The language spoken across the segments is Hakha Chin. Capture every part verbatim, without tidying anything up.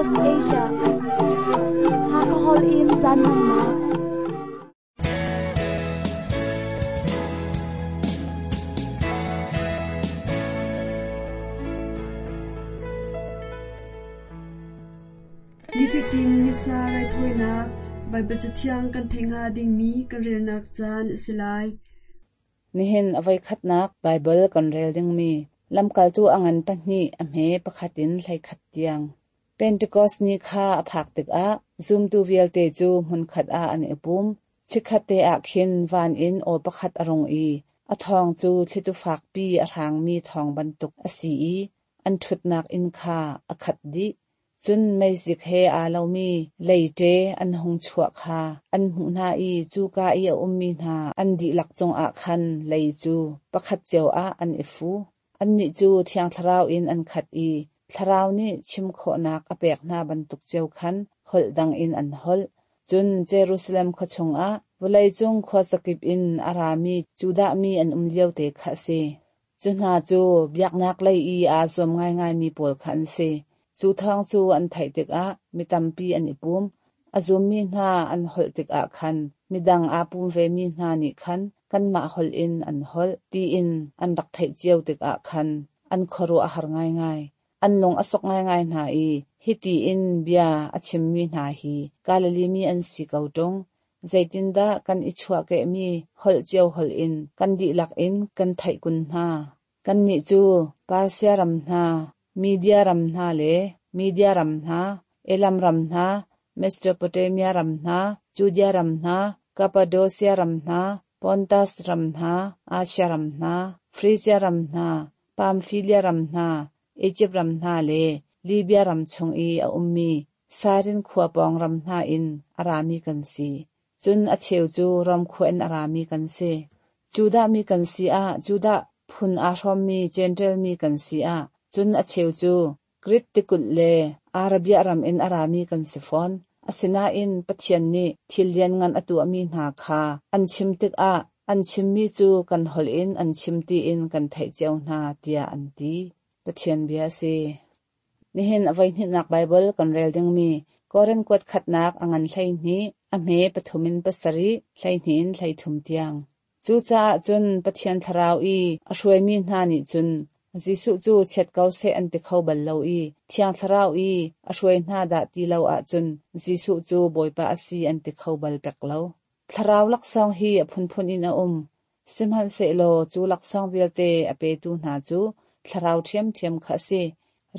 S B S Asia. Hakahol in caan hmannak. Nifatin Missa raithawinak Baibal Cathiang kan theih hnga dingmi kan relnak caan a si lai. Nihin a voikhatnak Baibal kan rel dingmi lamkaltu a ngan pahnih a hme pakhat in hleikhat tiang. Pentecost ni kha a phak tikah zumtu vialte cu hmunkhat ah an i pum. Chikkhat te ah khin van in aw pakhat a rung i a thawng cu thlitu fakpi a hrangmi thawng bantuk a si i an ṭhutnak inn kha a khat dih. Cun meizik he aa lomi leite an hung chuah kha an hmuh hna i cuka i a ummi hna an dihlak cungah khan lei cu pakhat cio ah an i fu. Annih cu Thiang Thlarau in an khat i Thlarau nih chim khawhnak a pek hna bantuk cio khan holh dang in an holh. Cun Jerusalem khua chungah vawleicung khuazakip in a rami Judah mi an um lio te kha a si. Cu hna cu biaknak lei i aa zuam ngaingaimi pawl kha an si. Cu thawng cu an theih tikah mi tampi an i pum. A zummi hna an holh tikah khan midang aa pum vemi hna nih khan kanmah holh in an holh tiin an rak theih cio tikah khan an khuaruah a har ngaingai. An lung a sok ngaingai hna i hiti in bia a chimmi hna hi Galilee mi an si ko ṭung. Zeitindah kan i chuahkehmi holh cio holh in kan dihlak in kan theih kun hna. Kannih cu Persia ram hna, Media ram hna le Media ram hna, Elam ram hna, Mesopotamia ram hna, Judea ram hna, Cappadocia ram hna, Pontus ram hna, Asia ram hna, Frisia ram hna, Pamphylia ram hna, Egypt ram hna le Libya ram chung i a ummi Sairin khua pawng ram hna in a rami kan si. Cun a cheu cu Rom khua in a rami kan si. Judah mi kan si ah Judah phun aa hrawmmi Jentail mi kan si ah cun a cheu cu Grik tikulh le Arabia ram in a rami kan si fawn. Asinain Pathian nih thil lianngan a tuahmi hna kha an chim tikah an chimmi cu kan holh in an chim tiin kan theih cio hna tiah an ti. Pathian bia a si. Nihin a voihnihnak Baibal kan rel dingmi Korin kuat khatnak a ngan hleihnih, a hme pathum in pasarih, hleihnih in hleithum tiang. Cucaah cun Pathian Thlarau i a hruaimi hna nih cun Jesuh cu chiat ko seh an ti kho bal lo i Thiang Thlarau i a hruai hna dah ti lo ahcun Jesuh cu Bawipa a si an ti kho bal pek lo. Thlarau laksawng hi a phunphun in a um. Sihmanhsehlaw cu laksawng vialte a petu hna cu Thlarau ṭhiamṭhiam kha a si.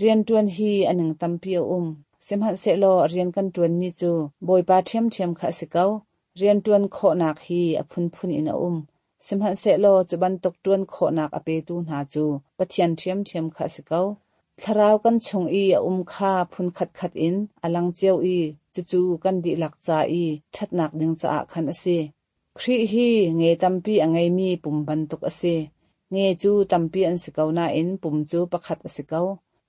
Rianṭuan hi a ning tampi a um. Sihmanhsehlaw rian kan ṭuanmi cu Bawipa ṭhiamṭhiam kha a si ko. Rianṭuan khawhnak hi a phunphun in a um. Sihmanhsehlaw cu bantuk ṭuan khawhnak a petu hna cu Pathian ṭhiamṭhiam kha a si ko. Thlarau kan chung i a um kha phun khatkhat in a lang cio i cucu kan dihlak ca i ṭhatnak ding caah khan a si. Khrih hi nge tampi a ngeimi pum bantuk a si. Nge cu tampi an si ko nain pum cu pakhat a si ko.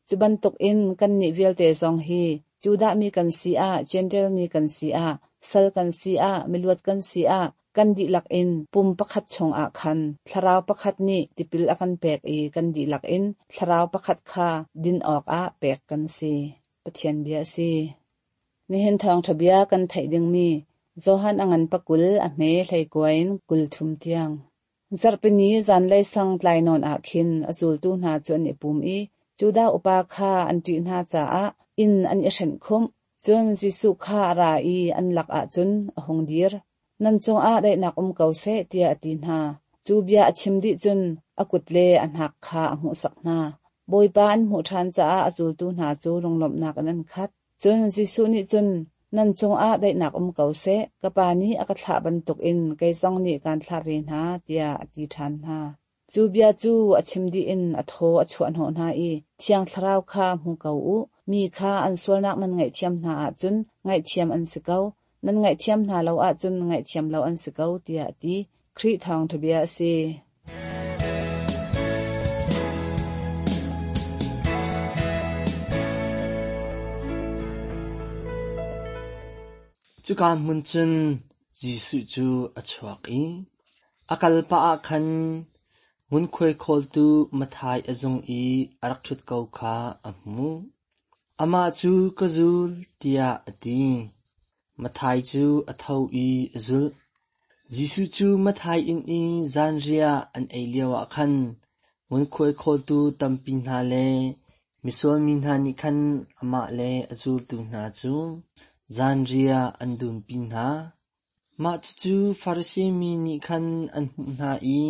Cu bantukin kannih vialte zong hi Judah mi kan si ah, Jentail mi kan si ah, sal kan si ah, miluat kan si ah, kan dihlak in pum pakhat chungah khan Thlarau pakhat nih tipil a kan pek i kan dihlak in Thlarau pakhat kha din awkah pek kan si. Pathian bia a si. Nihin thawngṭha bia kan theih dingmi Johan a ngan pakul a hme hleikua in kul thum tiang. Zarhpini zanlei sang tlai nawn ah khin a zultu hna cu an i pum i Judah upa kha an ṭih hna caah inn an i hrenh khumh. Cun Jesuh kha a ra i an lakah cun a hung dir. Nan cungah daihnak um ko seh tiah a ti hna. Cu bia a chim dih cun a kut le a hnak kha a hmuhsak hna. Bawipa an hmuh ṭhan caah a zultu hna cu lunglawmhnak in an khat. Cun Jesuh nih cun nan cungah daihnak um ko seh, ka Pa nih a ka thlah bantukin kei zong nih kaan thlah ve hna, tiah a ti ṭhan hna. Cu bia cu a chim dih in a thaw a chuah hnawh hna i Thiang Thlarau kha hmu ko u, mi kha an sualnak nan ngaihthiam hna ahcun ngaihthiam an si ko, nan ngaihthiam hna lo ahcun ngaihthiam lo an si ko, tiah a ti. Khrih thawngṭha bia a si. Cuka hmun cun Jesuh cu a chuak i a kal pah ah khan ngunkhuai khawltu Matthai a zung i a rak ṭhut ko kha a hmuh. Amah cu ka zul, tiah a ti. Matthai cu a tho i a zulh. Jesuh cu Matthai inn i zanriah an ei lioah khan ngunkhuai khawltu tampi hna le misual mi hna nih khan amah le a zultu hna cu zanriah an dumpi hna. Mah cucu Farasi mi nih khan an hmuh hna i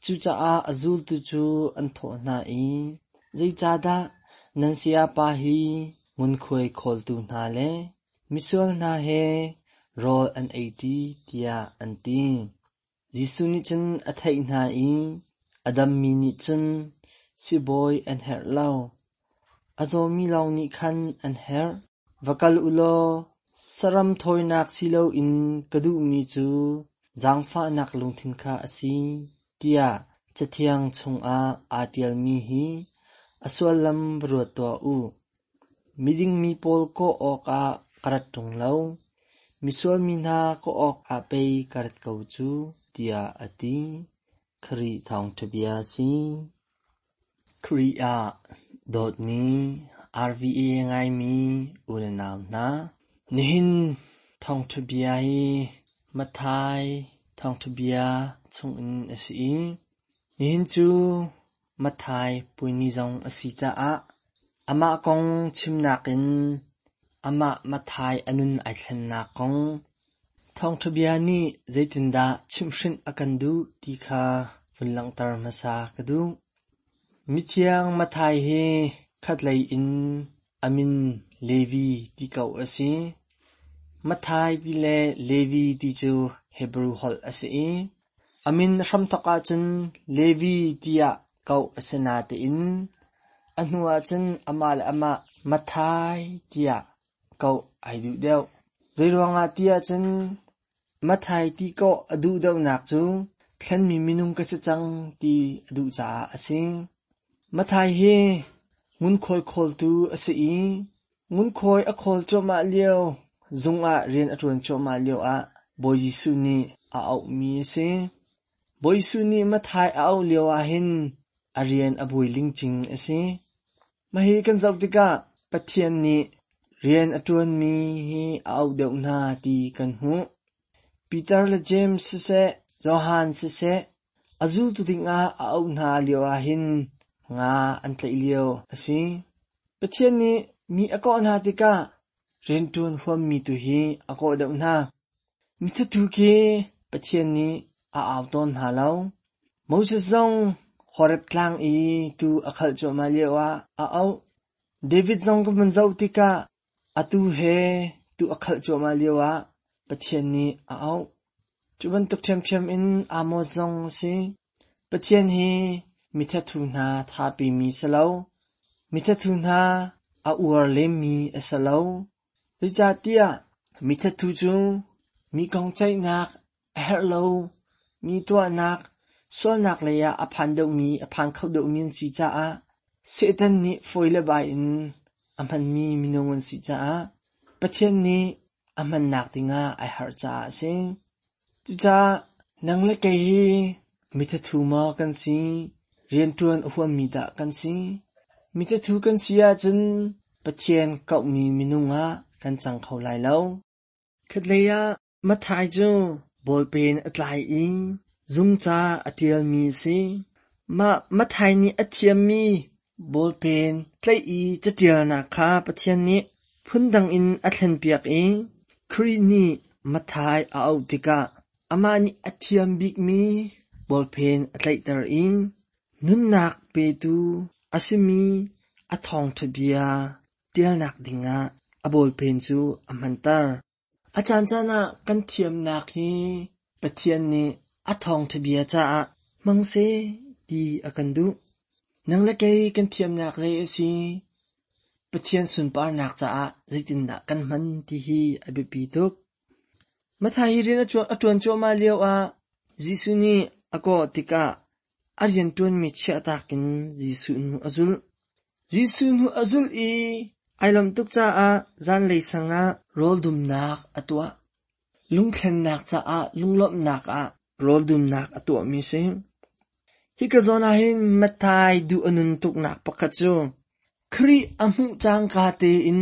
cucaah a zultu cu an thawh hna i, “Zeicahdah nan sayapa hi ngunkhuai khawltu hna le misual hna he rawl an eiṭi?” tiah an ti. Jesuh nih cun a theih hna i a dammi nih cun sibawi an herh lo, a zawmi lawng nih khan an herh. Va kal u law saram thawinak si loin ka duhmi cu zaangfahnak lungthin kha a si, tiah Cathiang chungah aa ṭialmi hi a sullam va ruat tuah u. Miding mi pawl kawh awkah ka rat ṭung lo, misual mi hna kawh awkah pei ka rat ko cu, tiah a ti. Khrih thawngṭha bia a si. Khrih ah dawtmi R V A ngaimi u le nau hna, nihin thawngṭha bia hi Matthai thawngṭha bia chungin a si i nihin cu Matthai puai zong a si caah amah kong chimnak in amah Matthai a nun ai thlennak kong thawngṭha bia nih zeitindah chimhhrinh a kan duh ti kha vun langhter hmasa ka duh. Mithiang Matthai hi khatlei in a min Levi ti ko a si. Matthai ti le Levi ti cu Hebrew holh a si i a min hramthawk ahcun Levi tiah koh a si natein a hnu ahcun amah le amah Matthai tiah koh ai duh deuh. Zeiruangah ti ahcun Matthai ti kawh a duh deuhnak cu thlenmi minung ka si cang ti a duh caah a si. Matthai hi ngunkhuai khawltu a si i ngunkhuai a khawl cuahmah lio zung ah rian a ṭuan cuahmah lioah Bawi Jesuh nih a auhmi a si. Bawi Jesuh nih Matthai a auh lio ahhin a rian a buai lingcing a si. Mah hi kan zoh tikah Pathian nih rian a ṭuanmi hi a auh deuh hna ti kan hmuh. Peter le James siseh, Johan siseh, a zultu dingah a auh hna lio ahhin nga an tlaih lio a si. Pathian nih mi a kawh hna tikah rianṭuan huammi tu hi a kawh deuh hna. Mithathu khi Pathian nih a au tawn hna lo. Moses zong Horeb tlang i tuu a khalh cuahmah lioah a auh. David zong ka vun zoh tikah atu he tuu a khalh cuahmah lioah Pathian nih a auh. Cu bantuk ṭhiamṭhiam in Amos zong a si. Pathian hi mithathu hna thapimi si lo. Mithathu hna a uar lemmi a si lo. Zeicahtiah mithathu cu mi kong ceihnak a herh lo, mi tuahnak, sualnak lei ah a phan deuhmi, a phan kho deuhmi an si caah Satan nih fawi le bai in a hmanmi minung an si caah Pathian nih a hmannak dingah ai harh caah a si. Cucaah nang le kei hi mithathu maw kan si, rianṭuan a huammi dah kan si? Mithathu kan si ahcun Pathian kauhmi minung ah kan cang kho lai lo. Khatlei ah Matthai cu bawlpen a tlai i zungca a ṭialmi a si. Mah Matthai nih a thiammi bawlpen tlaih i caṭialnak kha Pathian nih phundang in a thlenpiak i Khrih nih Matthai a auh tikah amah nih a thiam bikmi bawlpen a tlaihter i nunnak petu a simi a thawngṭha bia ṭialnak dingah a bawlpen cu a hmanter. A caancaan ah kan thiamnak hi Pathian nih a thawngṭha bia caah hmang seh ti a kan duh. Nang le kei kan thiamnak zei a si? Pathian sunparnak caah zeitindah kan hman ti hi a biapi tuk. Matthai hi rian a ṭuan cuahmah lioah Jesuh nih a kawh tikah a rianṭuanmi chiahtak in Jesuh hnu a zulh. Jesuh hnu a zulh i ai lawmh tuk caah zanlei sangah rawldumnak a tuah. Lungthlennak caah lunglawmhnak ah rawldumnak a tuahmi si. Hika zawn ah hin Matthai duh a nun tuknak pakhat cu Khrih a hmuh cangka tein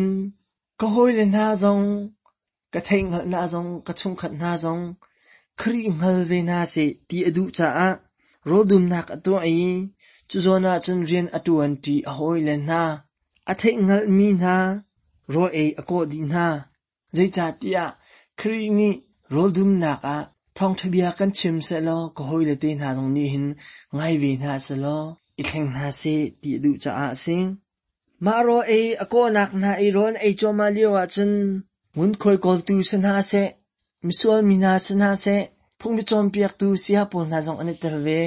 ka hawile hna zong, ka theihhngalh hna zong, ka chungkhat hna zong Khrih hngal ve hna seh ti a duh caah rawldumnak a tuah i cu zawn ah cun rian a ṭuanṭi a hawile hna, a theihhngalhmi hna rawl ei a kawh dih hna. Zeicahtiah Khrih nih rawldumnak ah thawngṭha bia kan chim sehlaw ka hawile te hna zong nih hin ngai ve hna sehlaw i thleng hna seh ti a duh caah a si. Mah rawl ei a kawhnak hna i rawl an ei cuahmah lio ahcun ngunkhuai kawltu si hna seh, misual mi hna si hna seh, phungbi cawnpiaktu saya pawl hna zong an i tel ve.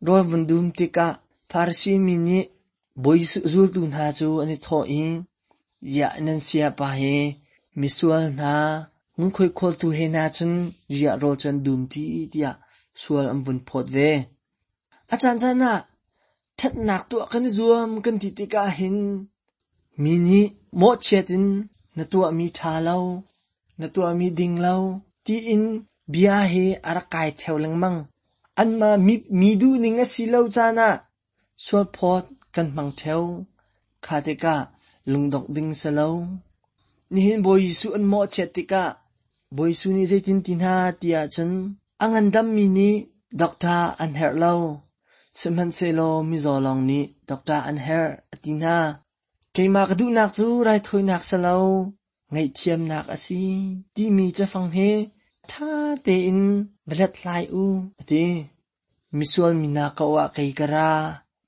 Rawl vun dum tikah Farasi mi nih Bawi Jesuh zultu hna cu an i thawh i, "Ziah nan sayapa hi misual hna ngunkhuai khawltu he hna cun ziah rawl cu an dum ṭi?" tiah sual an vun phawt ve. A caancaan ah ṭhatnak tuah kan i zuam kan ti tikah hin mi nih mawhchiat in na tuahmi ṭha lo, na tuahmi ding lo tiin bia hi a rak kai ṭheo lengmang. Anmah mi, mi duhning a si lo caan ah sualphawt kan hmang ṭheo. Kha tikah lungdongh ding si lo. Nihin Bawi Jesuh an mawhchiat tikah Bawi Jesuh nih zeitin ti hna ti ahcun a ngandammi nih doctor an herh lo. Sihmanhsehlaw mizaw lawng nih doctor an herh a ti hna. Keimah ka duhnak cu raithawinak si lo, ngaihthiamnak a si timi cafang hi ṭha tein va hlathlai u a ti. Misual mi hna ko ah kei ka ra,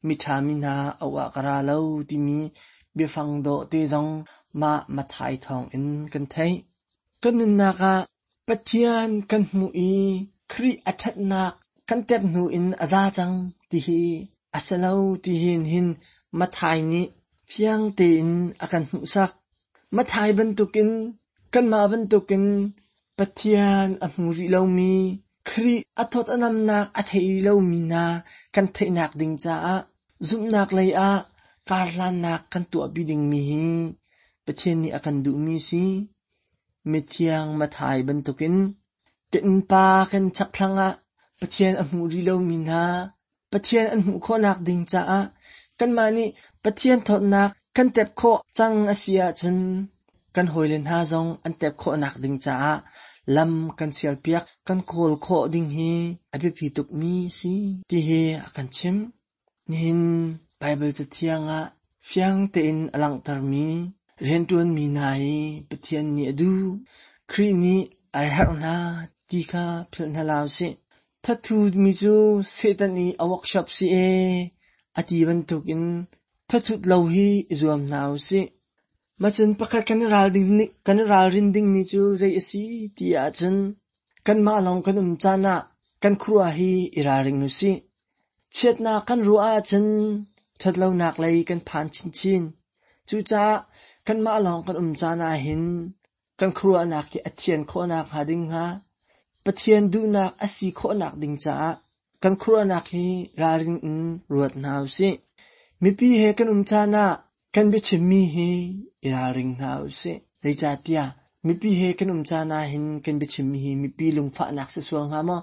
miṭha mi hna auh ah ka ra lo timi biafang dawh te zong mah Matthai thawngin kan theih. Kan nunnak ah Pathian kan hmuh i Khrih a ṭhatnak kan tep hnu in a za cang ti hi a si lo ti hin hin Matthai nih fiang tein a kan hmuhsak. Matthai bantukin kanmah bantukin Pathian a hmu rih lomi, Khrih a thawt a namnak a thei rih lomi hna kan theihnak ding caah zumhnak lei ah karhlannak kan tuahpi dingmi hi Pathian nih a kan duhmi si. Mithiang Matthai bantukin kan innpa kan chakthlang ah Pathian a hmu rih lomi hna, Pathian an hmuh khawhnak ding caah kanmah nih Pathian thawtnak kan tep khawh cang a si ahcun kan hawile hna zong an tep khawhnak ding caah lam kan sialpiak kan kawl khawh ding hi a biapi tukmi si ti hi a kan chimh. Nihin Baibal Cathiang ah fiang tein a langhtermi rianṭuanmi hna hi Pathian nih a duh, Khrih nih a herh hna ti kha philh hna hlah usih. Thathutmi cu Satan i a workshop si ee a ti bantukin thathut lo hi i zuam hna usih. Macun pakhat kan i kan i ralrin dingmi cu zei a si ti ahcun kanmah lawng kan um caan ah kan khuaruah hi i ralring usih. Chiatnak kan ruah ahcun ṭhatlonak lei kan phan chinchin. Cucaah kanmah lawng kan um caan ahhin kan khuaruahnak hi a thian khawhnak hnga ding hnga Pathian duhnak a si khawhnak ding caah kan khuaruahnak hi ralring in ruat hna usih. Mipi he kan um caan ah kan biachimmi hi i ralring hna usih. Zeicahtiah mipi he kan um caan ahhin kan biachimmi hi mipi lungfahnak si sual hnga maw?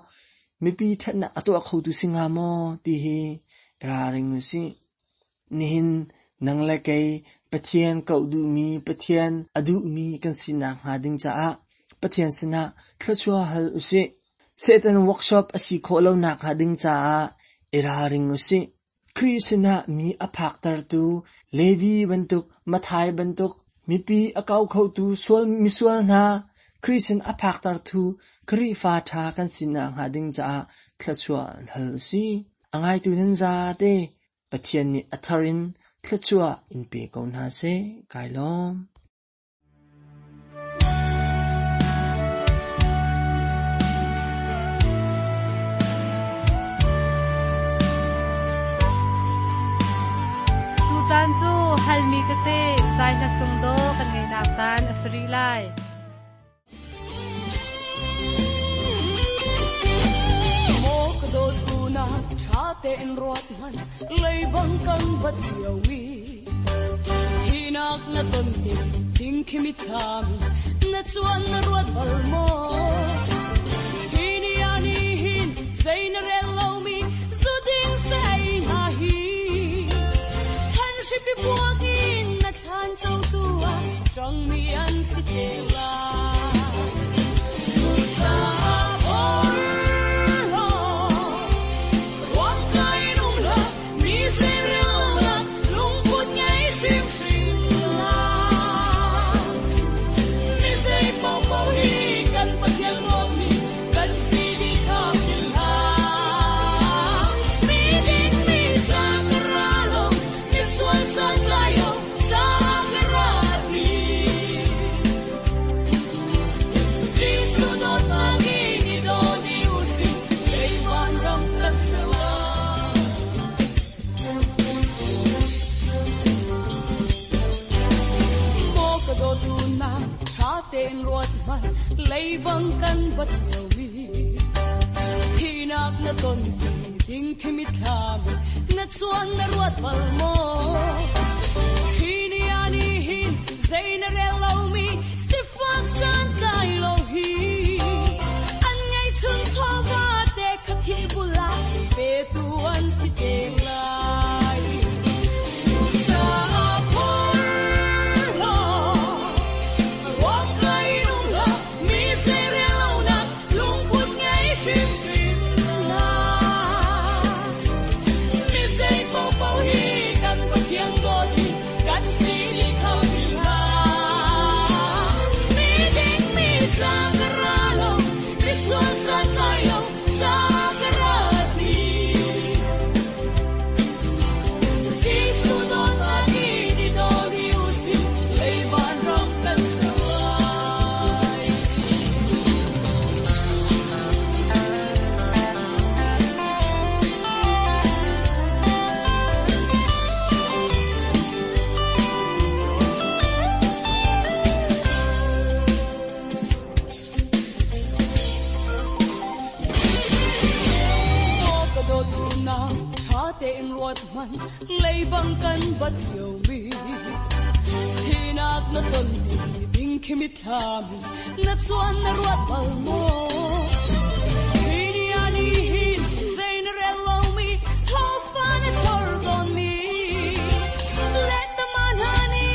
Mipi ṭhatnak a tuah khotu si hnga maw? Ti hi i ralring usih. Nihin nang le kei Pathian koh duhmi, Pathian a duhmi kan sinak hnga ding caah Pathian sinah thluachuah hal usih. Satan workshop a si khawh lonak hnga ding caah i ralring usih. Khrih sinah mi a phaktertu Levi bantuk, Matthai bantuk, mipi a ko khotu sual misual hna Khrih sin a phaktertu Khrihfa ṭha kan sinak hnga ding caah thluachuah hal usih. A ngaitu nan zate Pathian nih a thar in thluachuah in pe ko hna seh. Kai lawm. Tucaan cu halmi tete zai hla sung do kan ngeinak caan a si rih lai. Maw ka dawt una tha tein ruat man leibang kan bat chiao mi thinak na ton te ding khi mi tham na chuan na ruat bal mo hi ni ani hin zai na rel lo mi zu ding sai na hi than shi pi buagi tein ruat hmanh leibang kan bat cio mi thinak na ton ti ding khi mitthlam na chuan na ruat bal maw hi ni ani hin zei na rel lo mi sifak san tlai lo hi an ngei chun chawa te kha thi bula pe tu an si te lai cha phor lo ruak kai nung la mi se re lo na lung put ngei sim sim la mi se po po hi kan pathian dawt mi kan si li kham la mi ding mi sa ka ra lo mi sual san tlai lo sa ka ra ti Jesu dawt ni ni do ni usi lei van ram kan sai Maw ka dawt na tha tein ruat hmanh leibang kan bat cio mi thinak na ton ti ding khi mitthlam na chuan na ruat bal maw hi ni ani hin zei na rel lo mi hlo fa na chor ton mi let the man hani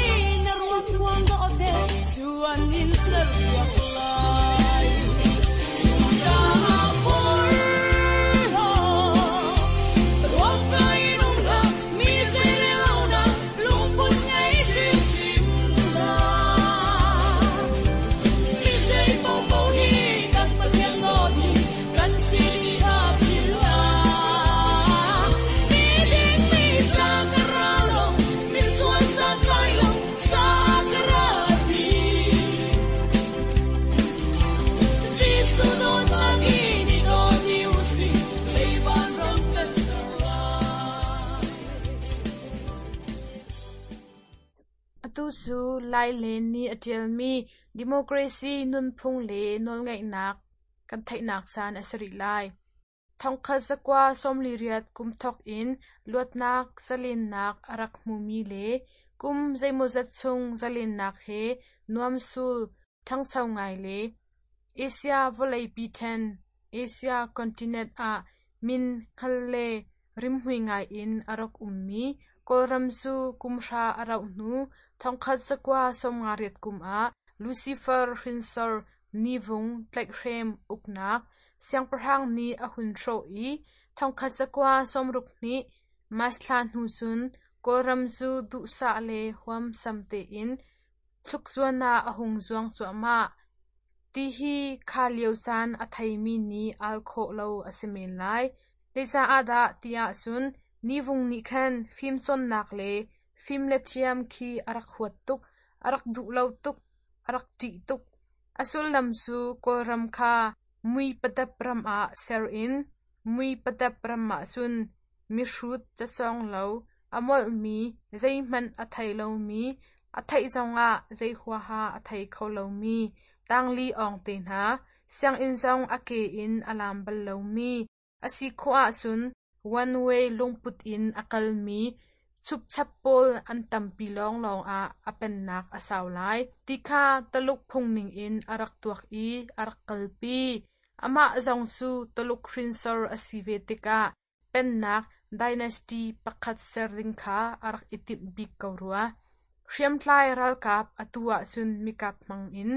na ruat huang do te chuan in ser piak lai cha por lo ruak kai nung la mi zei re lo na lung put ngei sim sim la mi zei po po hi kan pathian dawt mi kan si li kha phil la mi ding mi sa ka ra lo mi sual sa tlai lo sa ka ra ti Jesu dawt ni ni dawt ni usi lei van ram kan ser lai Atu cu Lai Len nih a ṭialmi Democracy nunphung le nawlngeihnak kan theihnak caan a si rih lai. Thongkhat zakua sawmli riat kum thawk in luatnak zalennak a rak hmumi le kum zeimawzat chung zalennak he nuamsul ṭhangcho ngai le Asia vawleipi ṭhen Asia continent ah min hngal le rimhmui ngai in a rak ummi Kawlram cu kum hra a rauh hnu thongkhat zakua sawmnga riat kum ah Lucifer hrinsor Nivung tlaihhrem uknak siangpahrang nih a hun hrawh i thongkhat zakua sawmruk hnih March thla hnu cun Kawlram cu duhsah le huamsam tein chukzuan ah a hung zuang cuahmah. Tihi kha lio caan a theimi nih al khawh lo a si men lai. Zeicah dah tiah cun Nivung nih khan fimcawnnak le fim le thiam khi a rak huat tuk, a rak duh lo tuk, a rak ṭih tuk. A sullam cu Kawlram kha mui padap ram ah ser in mui padap ram ah cun mihrut cacawng lo, a molhmi, zeihmanh a thei lomi, a theih zongah zei huaha a thei kho lomi, tangli awng te hna, sianginn zong a ke in a lam bal lomi, a si khawh ahcun one way lungput in a kalmi chupchap pawl an tampi lawnglawng ah a pennak a sau lai. Ti kha Taluk phung ningin a rak tuak i a rak kalpi. Amah zong cu Taluk hrinsor a si ve tikah pennak dynasty pakhat ser ding kha a rak i timh bik ko rua. Hriamtlai ralkap atu ahcun mikap hmang in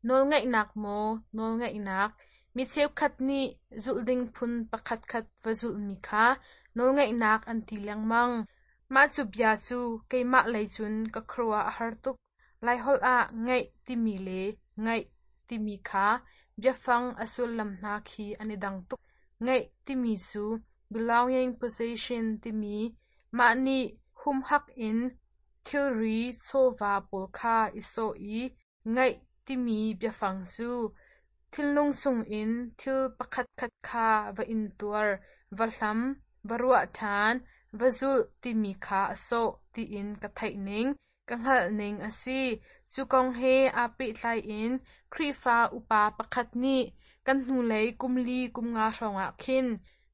nawlngeihnak maw nawlngeihnak mi cheukhat nih zulh ding phun pakhatkhat va zulhmi kha nawlngeihnak an ti lengmang. Mah cu bia cu keimah lei cun ka khuaruah a har tuk. Laiholh ah ngeih timi le ngaih timi kha biafang a sullam hna khi an i dang tuk. Ngeih timi cu belonging possession timi mah nih humhak in thilri chawva pawl kha i sawh i ngaih timi biafang cu thinlung chungin thil pakhatkhat kha va intuar, va hlam, va ruah ṭhan, va zulh timi kha a sawh tiin ka theih ning, ka hngalh ning a si. Cu kong he aa pehtlai in Khrihfa upa pakhat nih kan hnulei kum li kum nga hrawngah khin,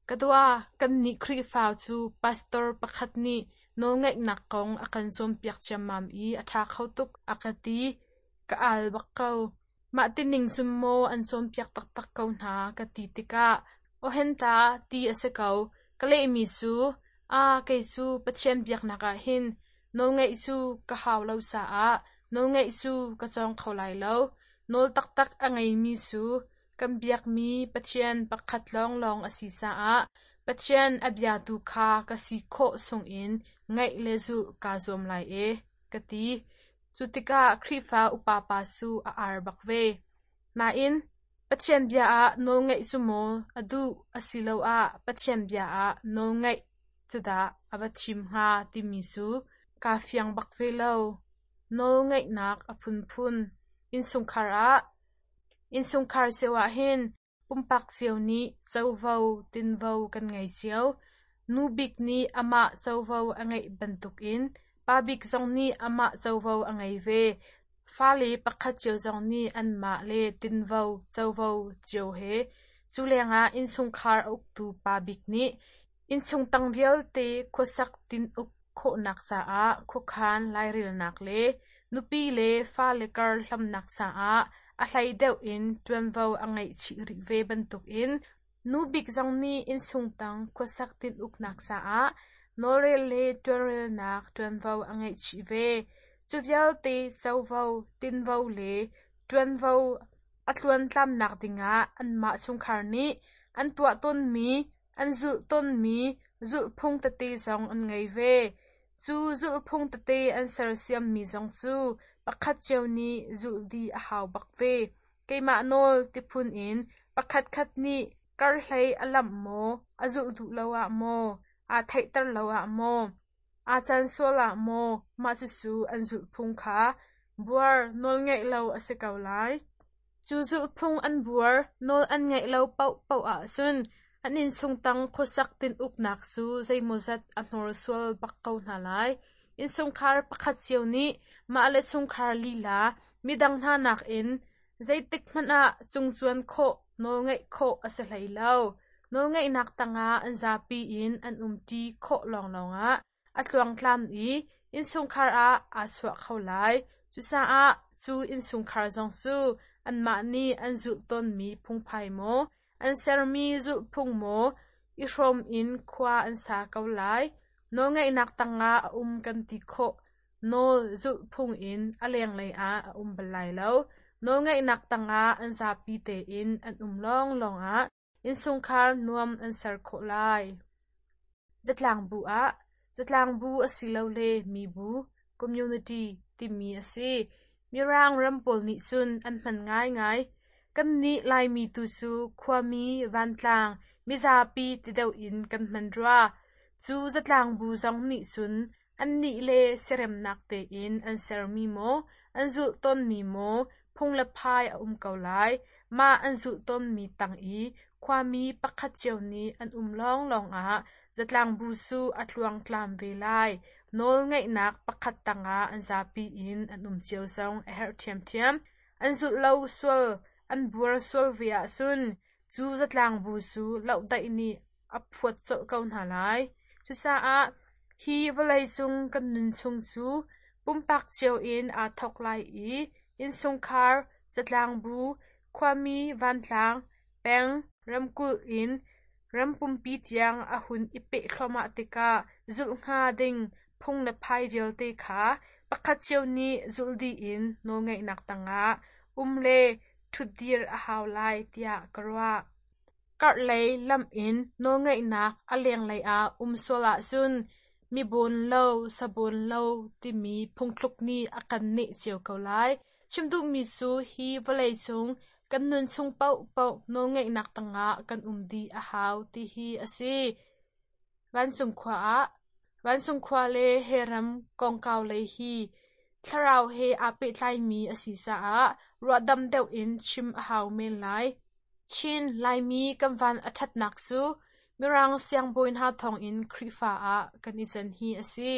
"Ka dua, kannih Khrihfa cu pastor pakhat nih nawlngaihnak kong a kan cawnpiak ciammam i a ṭha kho tuk," a ka ti. Ka al bak ko. Mah tining cun maw an cawnpiak taktak ko hna ka ti tikah, "Awhenta ti a si ko." Ka lehmi cu, "Aa, kei cu Pathian biaknak ah hin nawlngaih cu ka hau lo caah nawlngaih cu ka cawng kho lai lo. Nawl taktak a ngeimi cu kan biakmi Pathian pakhat lawnglawng a si caah Pathian a biatu kha ka si khawh chungin ngaih le zulh kaa zuam lai e," ka ti. Cu tikah Khrihfa upa pa cu a ar bak ve. Nain, Pathian bia ah nawlngaih cu maw a duh asiloah Pathian bia ah nawlngaih cu dah a va thim hnga timi cu kaa fiang bak ve lo. Nawlngaihnak a phunphun. Innchungkhar ah Innchungkhar cio ahhin pumpak cio nih covo tinvo kan ngei cio. Nu bik nih amah covo a ngeih bantukin pa bik zong nih amah covo a ngei ve. Fale pakhat cio zong nih anmah le tinvo covo cio he. Cu lengah innchungkhar a uktu pa bik nih innchung tang vialte khuasak tin-uk khawhnak caah khuakhan lairelnak le nupi le fale kar hlamnak caah a hlei deuh in ṭuanvo a ngeih chih rih ve bantukin nu bik zong nih innchung tang khuasak tin-uknak caah nawlrel le ṭuanrelnak ṭuanvo a ngeih chih ve. Cu vialte covo, tinvo le ṭuanvo a tluantlamnak dingah anmah chungkhar nih an tuah tawnmi, an zulh tawnmi zulhphung tete zong an ngei ve. Cu zulhphung tete an sersiammi zong cu pakhat cio nih zulh dih a hau bak ve. Keimah nawl ti phun in pakhatkhat nih karhlei a lamh maw, a zulh duh lo ah maw, aa theihter lo ah maw, aa can sual ah maw, mah cucu an zulhphung kha buar nawlngaih lo a si ko lai. Cu zulhphung an buar nawl an ngaih lo paohpaoh ahcun an innchung tang khuasak tin-uknak cu zeimawzat a hnawrsual bak ko hna lai. Innchungkhar pakhat cio nih mah le chungkhar lila midang hna nakin zeitik hmanh ah cungcuan khawh nawlngaih khawh a si hlei lo. Nawlngaihnak tangah an zapi in an umṭi khawh lawnglawng ah a tluangtlam i innchungkhar ah aa chuah kho lai. Cucaah cu innchungkhar zong cu anmah nih an zulh tawnmi phungphai maw, an sermi zulhphung maw i hrawm in khua an sa ko lai. Nawlngaihnak tangah a um kan ti khawh. Nawl zulhphung in a lenglei ah a um bal lai lo. Nawlngaihnak tangah an zapi tein an um lawnglawng ah innchungkhar nuam an ser khawh lai. Zatlangbu ah Zatlangbu asilole mibu (community) timi a si. Mirang ram pawl nih cun an hman ngaingai. Kannih Laimi tu cu khuami, vantlang, mizapi ti deuh in kan hman rua. Cu zatlangbu zong nih cun annih le siaremnak tein an sermi maw, an zulh tawnmi maw phung le phai a um ko lai. Mah an zulh tawnmi tang i khuami pakhat cio nih an um lawnglawng ah zatlangbu cu a tluangtlam ve lai. Nawlngaihnak pakhat tangah an zapi in an um cio zong a herh ṭhiamṭhiam. An zulh lo sual, an buar sual ve ahcun cu zatlangbu cu lohdaih nih a phuat colh ko hna lai. Cucaah hi vawleicung kan nun chung cu pumpak cio in aa thawk lai i innchungkhar, zatlangbu, khuami vantlang, peng, ramkulh in ram pumpi tiang a hun i peh thluahmah tikah zulh hnga ding phung le phai vialte kha pakhat cio nih zulh dih in nawlngaihnak tangah um le ṭhutdir a hau lai tiah ka ruah. Karhlei lamh in nawlngaihnak a lenglei ah um sual ahcun mi bawn lo, sa bawn lo timi phungthluk nih a kan neh cio ko lai. Chim duhmi cu hi vawleicung kan nun chung paohpaoh nawlngaihnak tangah kan um dih a hau ti hi a si. Vancung khua ah Vancung khua le he ram kongkau lei hi thlarau he aa pehtlaimi a si caah ruahdam deuh in chim a hau men lai. Chin Laimi kan van a ṭhatnak cu Mirang siangbawi hna thawngin Khrihfa ah kan i can hi a si.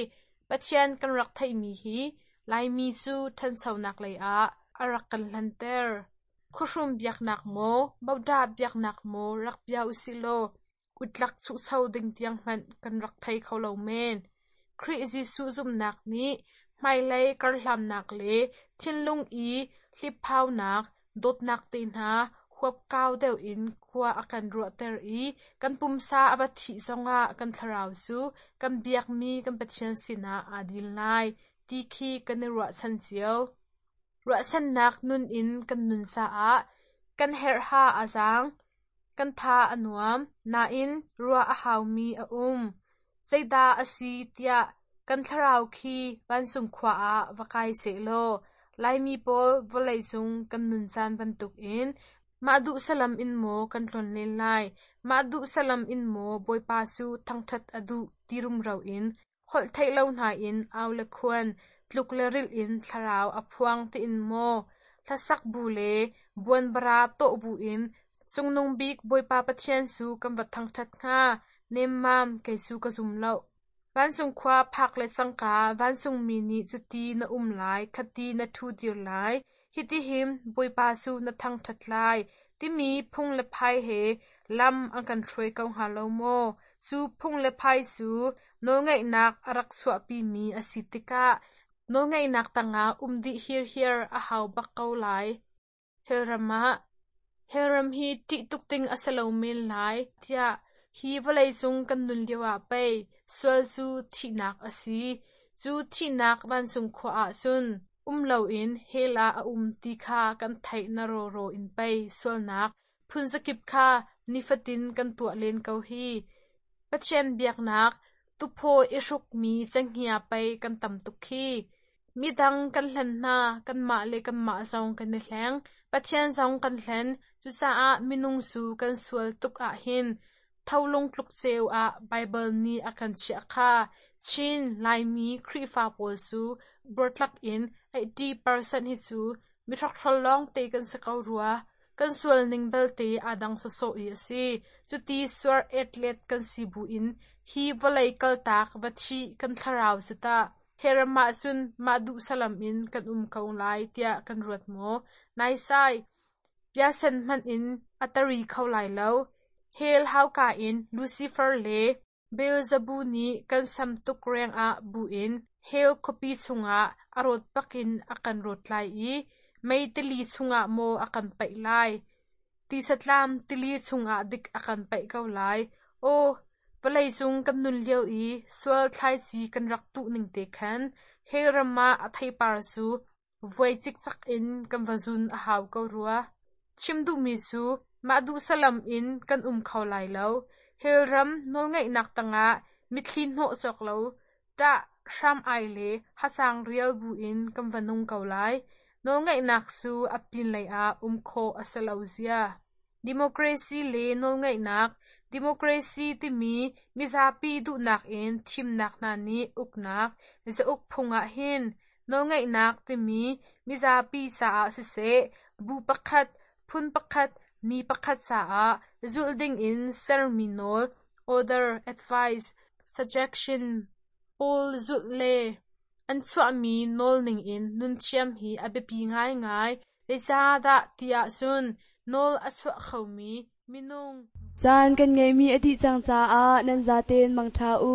Pathian kan rak theihmi hi Laimi cu ṭhanchonak lei ah a rak kan hlanter. Khuahrum biaknak maw, bodah biaknak maw rak bia usih law utlak chuhcho ding tiang hmanh kan rak thei kho lo men. Khrih Jesuh zumhnak nih hmailei karhlannak le thinlung i hliphaunak, dawtnak te hna huapkau deuh in khua a kan ruahter i kan pumsa a va thih zongah kan thlarau cu kan biakmi kan Pathian sinah aa dil lai ti khi kan i ruahchan cio. Ruahchannak nun in kan nun caah kan herhha a zaang, kan tha a nuam, nain ruah a haumi a um. Zeidah a si tiah kan thlarau khi vancung khua ah va kai sehlaw Laimi pawl vawleicung kan nun caan bantukin mah duh salam in maw kan tlonlen lai, mah duh salam in maw Bawipa cu thangṭhat a duh ti rumro in holh theih lo hna in au le khuan, tluk le rilh in thlarau a phuang tiin maw hlasak bu le buanbara tawh bu in Cungnung bik Bawipa Pathian cu kan va thangṭhat hnga, nemmam kei cu ka zum lo. Vancung khua phak le cangka vancungmi nih cuti na um lai, khati na ṭhu dir lai, hitihin Bawipa cu na thangṭhat lai, timi phung le phai he lam an kan hruai ko hnga lo maw? Cu phung le phai cu nawlngeihnak a rak chuahpimi a si tikah nawlngeihnak tangah um dih hirhiar a hau bak ko lai. Hellram ah Hellram hi ṭih tuk ding a si lo men lai tiah hi vawleicung kan nun lioah pei sual cu thihnak a si. Cu thihnak vancung khua ah cun um loin hell ah a um ti kha kan theih na rawraw in pei sualnak phunzakip kha nifatin kan tuah len ko hi. Pathian biaknak tuphaw i hrukmi cenghngia pei kan tam tuk khi. Midang kan hlen hna, kanmah le kanmah zong kan i hleng. Pathian zong kan hlen. Cucaah minung cu kan sual tuk ahhin tholung tluk ceu ah Baibal nih a kan chiah kha. Chin Laimi Khrihfa pawl cu buartlak in eighty percent hi cu mihrokhrol lawngte kan si ko rua. Kan sual ning belte aa dang sawsawh i a si. Cuti suar etlet kan si buin hi vawlei kaltak va thih kan thlarau cu tah hellram ah cun mah duh salam in kan um ko lai tiah kan ruat maw? Naisai, biasen hmanh in a tari kho lai lo. Hell hauka in Lucifer le Beelzebub nih kan sam tuk rengah buin hell khuapi chungah a rawt bakin a kan rawt lai i mei tili chungah maw a kan paih lai. Tisatlam tili chungah dik a kan paih ko lai. Aw, vawleicung kan nun lio i sual thlaici kan rak tuh ning te khan hell ram ah a theipar cu vuai cikcak in kan va zun a hau ko rua. Chim duhmi cu mah duh salam in kan um kho lai lo. Hell ram nawlngeihnak tangah mitthli hnawh cawk lo, ṭah hram ai le hacang rial buin kan va nung ko lai. Nawlngeihnak cu a pinlei ah um khawh a si lo zia. Democracy le nawlngeihnak. Democracy timi mizapi duhnak in thimnak hna nih uknak zauk phung ah hin nawlngeihnak timi mizapi caah siseh, bu pakhat, phun pakhat, mi pakhat caah zulh dingin sermi nawl, order, advice, suggestion pawl zulh le an chuahmi nawl ningin nun thiam hi a biapi ngaingai. Zeicahdah ti ahcun nawl a chuah khomi minung Caan kan ngeihmi a dih cang caah nan zaten mangṭha u.